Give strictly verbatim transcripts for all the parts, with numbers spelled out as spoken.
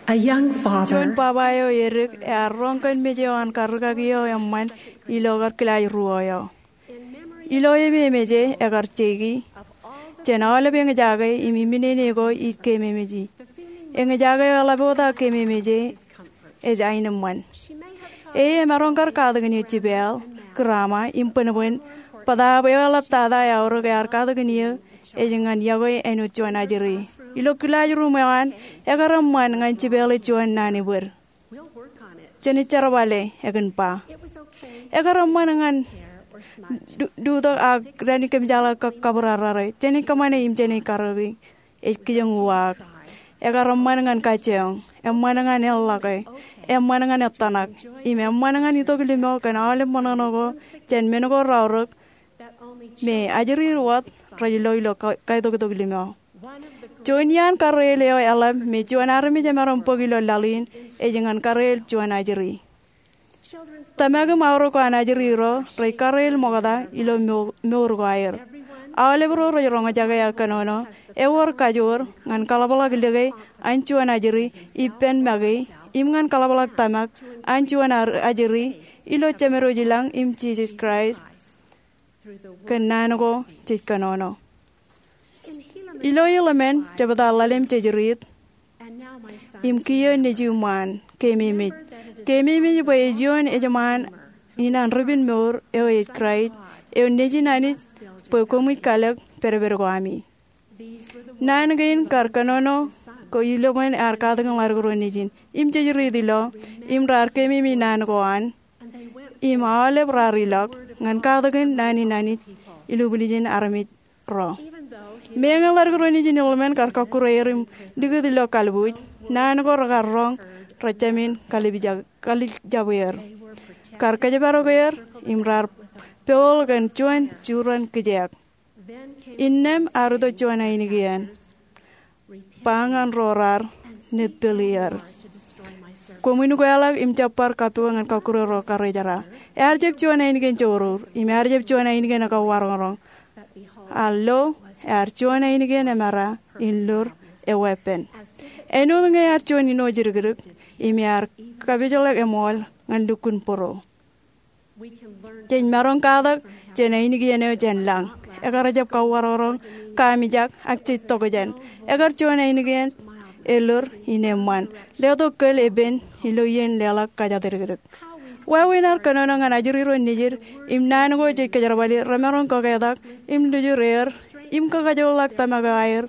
A young father. Juon baba eo edik ear roñ kōn mej eo an karrikaki eo eṃṃan ilo kar kilaajruo eo. Ilo ememeje ekar jeiki, jān aolep eñjake im iminene ko ij kememeji. Eñjake eo eḷap wōt aō kememeje ej aenōṃṃan. E emaroñ kar katakin eō jipeeḷ, grandma, im bōnbōn, bōtaab eo eḷap tata eaorōk ear katakin eō ej ñan yokwe āinwōt juon ajri. Ilo kilaajruum eo an, ekar eṃṃan ñan jipeeḷ ej juon naan ebōd. Jen jerbale, ekōn ba. Ekar eṃṃan ñan du-, dutok ak dān kōmjeḷā kab kabūrarrare, jen kōṃṃane im jen karreoik ej kijoñ uwaak. Ekar eṃṃan ñan kajjioñ, eṃṃan ñan eḷḷọke, eṃṃan ñan ettōṇak, im eṃṃan ñan itok limo kōn aolep ṃōṇōṇō ko jān men ko raorōk me ajri wōt rej lo ilo ka-, kaitoktok limo. Juon iaan karreel eo eḷap me juon armej emaroñ bōk ilo laḷ in ej ñan karreel juon ajri. Tōmak im aorōk ko an ajri ro rej karreel ṃokta ilo mo-, mour ko aer. Aolep ro rej roñjake aō kōnono, ewōr kajoor ñan kaḷapḷọk lōke an juon ajri ippān make, im ñan kaḷapḷọk tōmak an juon ar-, ajri ilo Jemedwōj ilañ im Jisōs Kraist kōn naan ko jej kōnono. Ilo Helaman, jebta ḷalem jej riit, im kiiō nejūṃ ṃaan, kememej. Kememej bwe ej ioon ejṃaan in an ripin mour eo ej Kraist, eo nejin Anij bwe koṃij kalōk pedped ko ami. Naan kein kar kōnono ko iloṃōn ear katakin ḷaddik ro nejin. Im jej riit ilo, im raar kememej naan ko an, im aolep raar ilọk ñan katakin naan in Anij ilubwiljin armej ro. Meñe ḷaddik ro nejin iloṃōn kar kọkkure er im likūt ilo kalbuuj, naan ko rekar roñ rejāmin kalijab-, kalijabwe er. Kar kōjparok er, im raar pool kōn juon jurōn kijeek. Innām ear itok juon ainikien, ba ñan ro raar netpeli er, koṃwin ukweḷọk im jab bar kappukot ñan kọkkure ro karrejera. Ear jab juon ainikien jourur, im ear jab juon ainikien kawaroñroñ. A lo, ear juon ainikien emera in lur eweeppān. Āinwōt ñe ear juon ino jidikdik, im ear kapijḷọk eṃool ñan lukkuun būruō. Jej maroñ katak jān ainikien eo jān lañ. Ekar jab kawaroñroñ, kaamijak, ak jej tokjān. Ekar juon ainikien elōr in eṃṃan. Letok kōl epen ilo iien leḷọk kōjatdikdik. Wāween ad kōnono ñan ajri ro nejid, im naan ko jej kōjerbali, remaroñ kaketak, im lujur er, im kakajoorḷọk tōmak eo aer,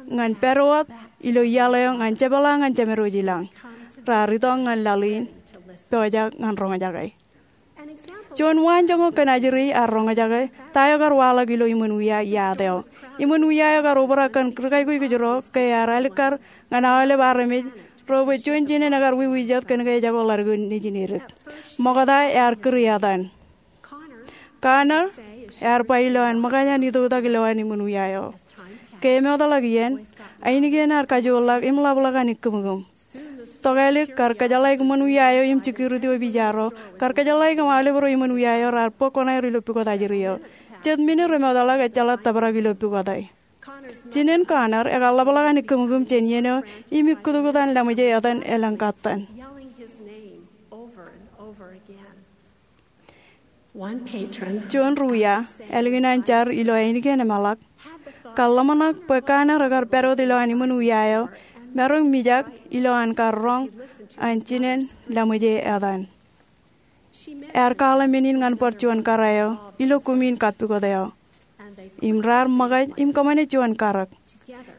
ñan pād wōt ilo iaḷ eo ñan jepḷaak ñan Jemedwōj ilañ. Raar itok ñan laḷ in, pojak ñan roñjake. Juon waanjoñak kōn ajri ear roñjake ta eo kar waḷọk ilo iṃōn wia iaat eo. Iṃōn wia eo kar obrak kōn ri-kaikuj ro ke ear alikkar ñan aolep armej ro bwe juon jinen ekar wiwijet kōn ke ejako ḷaddik nejin edik. Ṃokta ear kūr etan. Connor ear ba ilowaan ṃōkaj an itoktak ilowaan iṃōn wia eo. Ke emootḷọk iien, ainikien ear kajoorḷọk im ḷapḷọk an ikkūmkūm. Tokālik kar kōjeḷāik iṃōn wia eo im security officer ro, kar kōjeḷāik im aolep ro iṃōn wia eo raar bōk kuṇaer ilo pukot ajri eo. Jet minit remootḷọk ejjeḷọk tōprak ilo pukot eo. Jinen Connor ekar ḷapḷọk an ikkūmkūm jān iien eo im ikkūtkūt an laṃōj e etan elōñ kattan. Juon ri-wia, ālikin an jar ilo ainikien emeḷak, kar ḷōmṇak bwe Connor ekar pād wōt ilowaan iṃōn wia eo, maroñ mijak ilowaan kar roñ an jinen laṃōj e etan. Ear kwaḷọk men in ñan bar juon kōrā eo ilo kumin kappukot eo. Im raar ṃōkaj im kōṃṃane juon karōk.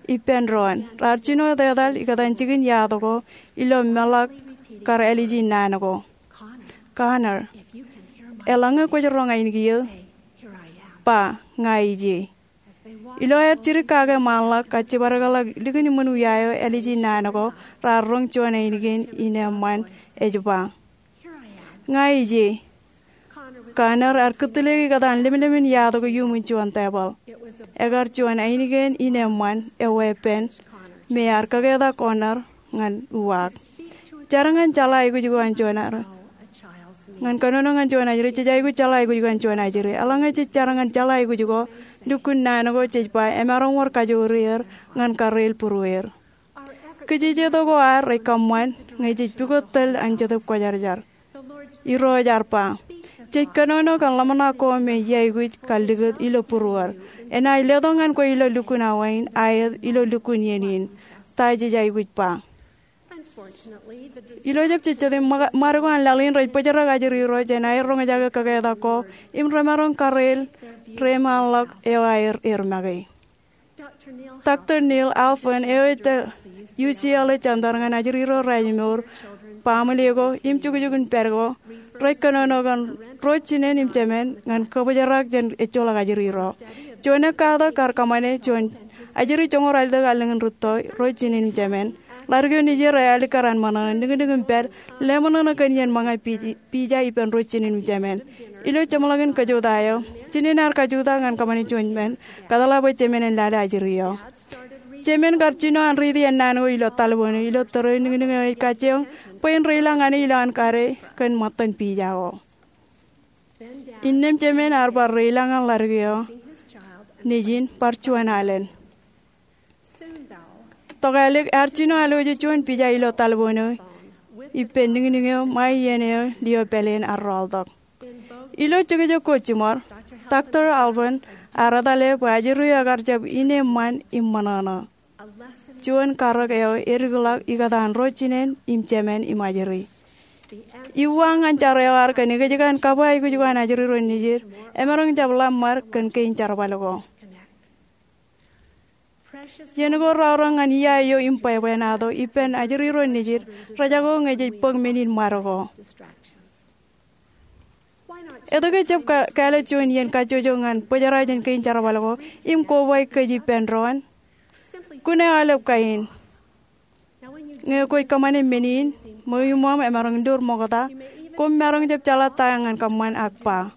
Ippān doon, raar jino etetal ikōtaan jikin iaad ko ilo meḷọk kar āliji naan ko. Connor, eḷaññe kwōj roñ ainikien, ba, ña ij ie. Ilo aer jidik kake ṃaanḷọk kajjibadekḷọk likin iṃōn wia eo āliji naan ko, raar roñ juon ainikien in eṃṃan ej ba, ña ij ie. Connor ear kūtleik ikōtaan lemlemin iaad ko iuṃwin juon tebōḷ. Ekar juon ainikien in eṃṃan eweeppān me ear kaketak Connor ñan uwaak. Jar ñan jeḷā aikuj ko an juon ajri. Ñan kōnono ñan juon ajri, jej aikuj jeḷā aikuj ko an juon ajri. Eḷaññe jej jar ñan jeḷā aikuj ko, lukkuun naan ko jej ba emaroñ wōr kajoor er ñan karreel būrueer. Kōjejjeto ko ad rej kōṃṃan ñe jej pukot tōl an Jetōb Kwōjarjar. Irooj ear ba, jej kōnono kōn ḷōmṇak ko me iaikuj kallikūt ilo būruōd. Enaaj letok ñan kwe ilo lukkuun awa in, aet ilo lukkuun iien in. Ta jej aikuj ba? Ilo jab jejjet im ṃa-, ṃad ko an laḷ in rej bōjrak ajri ro jān aer roñjake kaketak ko im remaroñ kareel reiṃaanḷọk eo aer make. Doctor Neil Alfvén eo ej U C L A Center ñan ajri ro raij mour, baaṃle ko im jukjuk in pād ko rej kōnono kōn ro jinen im jemān ñan kabōjrak jān ejjeḷọk ajri ro. Juon ekkatak kar kōṃṃane juon ajri joñoul ralitōk allōñ in rūtto, ro jinen im jemān. Ḷaddik eo nejier ej alikkar an ṃōṇōṇō, niknik im pād, leṃōṇōṇō kōn iien ṃōñā pija ippān ro jinen im jemān. Ilo jeṃḷọkin kōjota eo, jinen ear kajutak ñan kōṃṃane juon men, kōtḷā bwe jemān en lale ajri eo. Jemān kar jino an riiti āne ko ilo talboon eo ilo tōre eo niknik eo ej kajjioñ bwe en reilañ ñan e ilo an kade kōn ṃōttan pija ko. Innām jemān ear bar reilañ ñan ḷaddik eo, nejin bar juon alen. Tokālik ear jino aloje juon pija ilo talboon eo ippān niknik eo ṃae iien eo lio pāleen ear rọọltok. Ilo jekjek ko jiṃor, Doctor Alfvén ear etale bwe ajri eo ekar jab ineeṃṃan im ṃōṇōṇō. Juon karōk eo edikḷọk ikōtaan ro jinen im jemān im ajri. Iuwa ñan jar eo ad kōn ekjkan kab aikuj ko an ajri ro nejid emaroñ jab ḷōṃṃad kōn kein jerbal ko. Iien ko raorōk ñan ia eo im bwebwenato ippān ajri ro nejid rejako ñe jej bōk men in ṃad ko. Etke jab ka-, kāālōt juon iien kajjojo ñan bōjrak jān kein jerbal ko im kobaik kōj ippān doon? Kōn aolep kain. Ñe kwōj kōṃṃane men in, ṃweo iṃōṃ emaroñ lur ṃokta, koṃ maroñ jab jeḷā ta ñan kōṃṃan ak ba.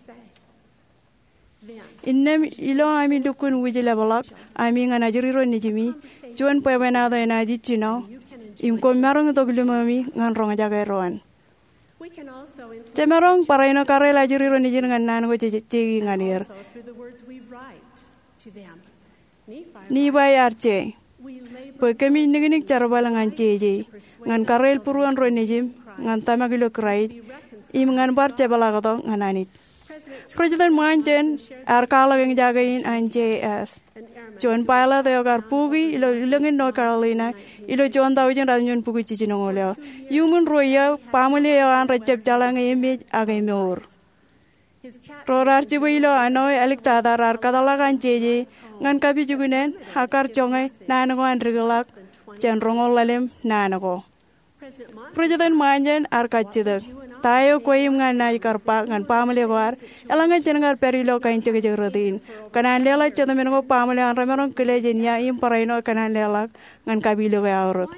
Innām ilo ami lukkuun wūjlepḷọk ami ñan ajri ro nejimi, juon bwebwenato enaaj ijjino, im koṃ maroñ itok limomi ñan roñjake doon. Jemaroñ barāinwōt kareel ajri ro nejid ñan naan ko jej jeiki ñan er. Nifai ear je bwe kōmij niknik jerbal ñan jeje, ñan kareel būruon ro nejim, ñan tōmak ilo Kraist, im ñan bar jepḷaaktok ñan Anij. President Monson ear kwaḷọk eñjake in an J S, juon pilot eo kar buki ilo ilōñ in North Carolina ilo juon taujin ratimjuon bukwi jiljinoñoul eo. Iuṃwin ruo iiō, baaṃle eo an rejjab jeḷā ñe emej ak emour. Ro raar jibwe ilo āne eo āliktata raar kōtḷọk an jeje ñan kapijuknen ak kar joñe naan ko an dikḷọk jān roñoul ḷalem naan ko. President Monson ear kajjitōk, ta eo kwe im ña naaj kar ba ñan baaṃle ko ad, eḷaññe jen kar pād ilo kain jekjek rot in, kōṇaan leḷọk jitōmin ko baaṃle eo an remaroñ kile jān ia im barāinwōt kōṇaan leḷọk ñan kapilōk eo aorōk.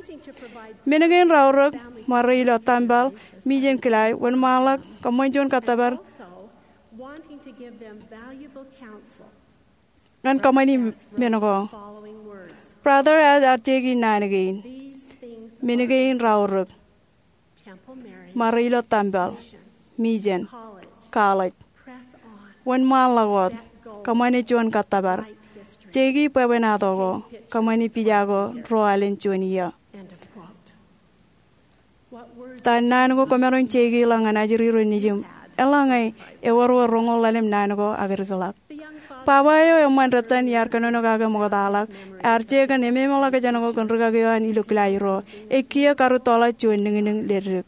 Men kein raorōk, ṃare ilo tempel, mijen kilaaj, wōnṃaanḷọk, kōṃṃan juon kōttōpar ñan kōṃṃani men ko. Brother Hess ear jeiki naan kein. Men kein raorōk, ṃare ilo tempel, mijen, college, wōnṃaanḷọk wōt, kōṃṃane juon kōttōpar, jeiki bwebwenato ko, kōṃṃani pija ko ruo alen juon iiō. Ta naan ko kwōmaroñ jeiki ḷọk ñan ajri ro nejim, eḷaññe ewōr wōt roñoul ḷalem naan ko ak dikḷọk? Baba eo eṃṃan dettan iar kōnono kake ṃoktaḷọk, ear je kōn ememeḷọkjeṇ ko kōn rikaki eo an ilo kilaaj ruo, ej kiiō karūttoḷọk juon niknik leddik.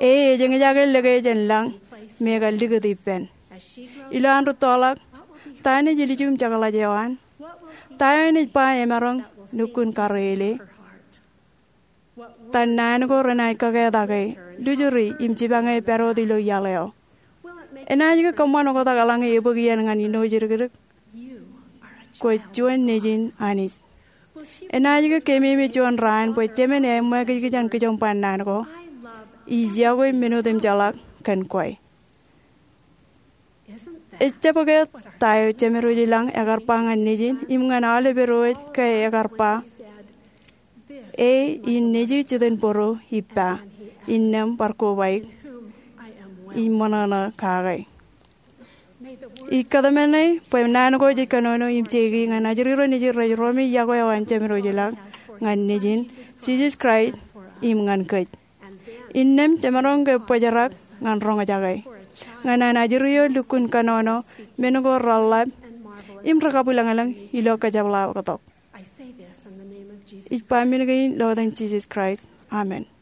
E ej eñjake lōke jān lañ me ekar likūt ippān. Ilo an rūttoḷọk, ta enaaj ilju im jekḷaj eo an? Ta eo enaaj ba emaroñ nukkuun kareele? Ta naan ko renaaj kakātake, lujuri im jipañe pād wōt ilo iaḷ eo? Enaaj ke kōṃṃan oktak eḷaññe ebōk iien ñan ijin jidikdik? Kwōj juon nejin Anij. Enaaj ke kememej juon raan bwe jemān eṃṃakijkij an kijoñ ba naan ko, ij yokwe men otemjeḷọk kōn kwe? Ejjab ke ta eo Jemedwōj i lañ ekar ba ñan nejin im ñan aolep edwōj ke ekar ba, E in nejū jitōnbōro ippa, innām bar kobaik, ij ṃōṇōṇō kake. Ij kōtmāne bwe naan ko jej kōnono im jeiki ñan ajri ro nejid rej roñi yokwe eo an Jemedwōj i lañ, ñan Nejin, Jisōs Kraist, im ñan kōj. Innām jemaroñ ke bōjrak ñan roñjake ñan an ajri eo lukkuun kōnono men ko reḷḷap im rekabwilōñlōñ ilo kōjepḷaaktok. Ij ba men kein ilo etan Jisōs Kraist, amen.